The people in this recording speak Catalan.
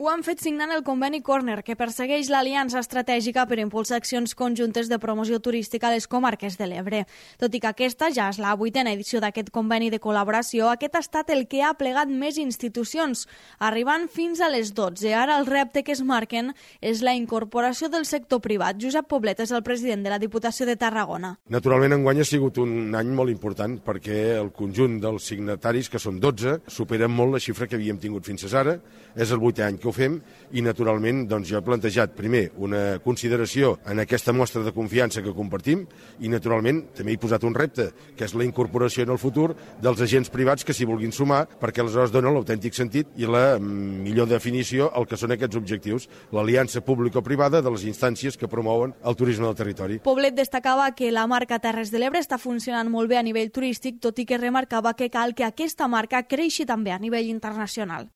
ho han fet signant el conveni Corner, que persegueix l'aliança estratègica per impulsar accions conjuntes de promoció turística a les comarques de l'Ebre. Tot i que aquesta ja és la 8a edició d'aquest conveni de col·laboració, aquest ha estat el que ha plegat més institucions, arribant fins a les 12. Ara el repte que es marquen és la incorporació del sector privat. Josep Poblet és el president de la Diputació de Tarragona. Naturalment, enguany ha sigut un any molt important perquè el conjunt dels signataris, que són 12, superen molt la xifra que havíem tingut fins ara. És el 8è any que ho fem i, naturalment, jo he plantejat primer una consideració en aquesta mostra de confiança que compartim i, naturalment, també he posat un repte, que és la incorporació en el futur dels agents privats que s'hi vulguin sumar, perquè aleshores dona l'autèntic sentit i la millor definició al que són aquests objectius, l'aliança público-privada de les instàncies que promouen el turisme del territori. Poblet destacava que la marca Terres de l'Ebre està funcionant molt bé a nivell turístic, tot i que remarcava que cal que aquesta marca creixi també a nivell internacional.